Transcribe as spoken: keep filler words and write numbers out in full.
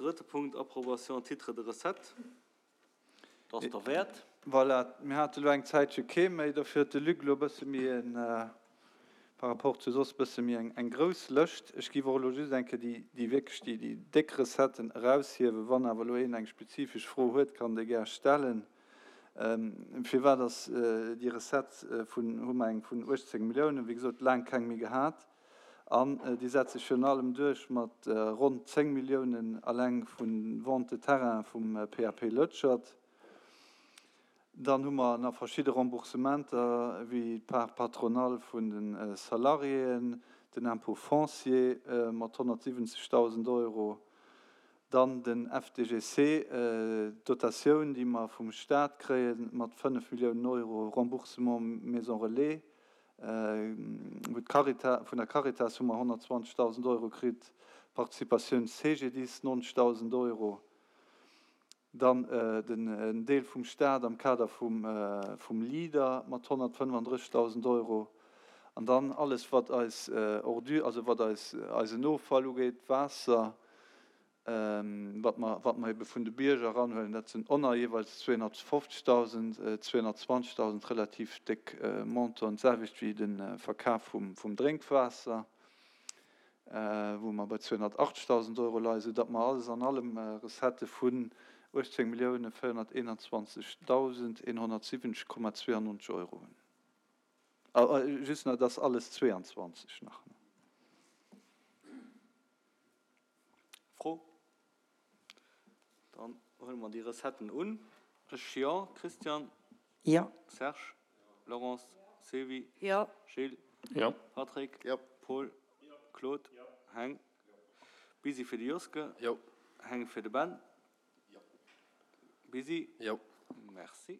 drëtte Punkt, Approbation titre de recette. Dat ass derwäert. Voilà, mir hate lo eng Zäitche kee méi, dofir huet de Luc lo e bësse méi en, par rapport zu soss, bësse méi eng, eng grouss Lëscht. Ech géif och elo just eng Kéier déi, déi wierklech déi, déi déck Recetten eraushiewen. Wann awer elo een eng spezifesch Fro huet, kann déi gär stellen. Firwat ass déi Recette vun, hu mer eng vun uechtzéng Milliounen, wéi gesot, laang keng méi gehat, an déi setzt sech virun allem duerch mat ronn zéng Milliounen alleng vu Vente de terrain vum P A P Lëtschert. Dann hu mer nach verschidde Remboursementer wéi d'Part patronale vun de Salariéen, den Impôt foncier mat honnertsiwwenzegdausend Euro, dann den F D G C, d'Dotatioun, déi mer vum Staat kréien, mat fënnef Milliounen Euro, Remboursement Maison Relais, wou d'Caritas, vun der Caritas hu mer honnertzwanzegdausend Euro kritt, Participatioun C G D I S neunzegdausend Euro, dann den en Deel vum Staat am Kader vum vum Leader mat honnertfënnefandrëssigdausend Euro, an dann alles wat eis Ordure, also wat eis eisen Offall ugeet, Waasser, wat mer wat mer ebe vun de Bierger eranhuelen, dat sinn och jeeweils zweehonnertfofzegdausend, zweehonnertzwanzegdausend, relativ déck Montanten, d'selwecht wéi de Verkaf vum vum Drénkwaasser, wou mer bei zweehonnertachtzegdausend Euro leien, soudatt mer alles an allem Recettë vun uechtzéng Millioune véierhonnerteenundzwanzegdausend eenhonnertsiwwenzeg Komma zwéiannonzeg Euro hunn. Just nach, dat ass alles zweeanzwanzeg nach. Fro? Dann huele mer déi Recetten un. Ech jo. Christian? Jo. Serge? Laurence? Sylvie? Jo. Gilles? Jo. Patrick? Jo. Paul? Claude? Heng? Busy fir de Joske? Jo. Heng fir de Ben? Busy? Jo. Merci.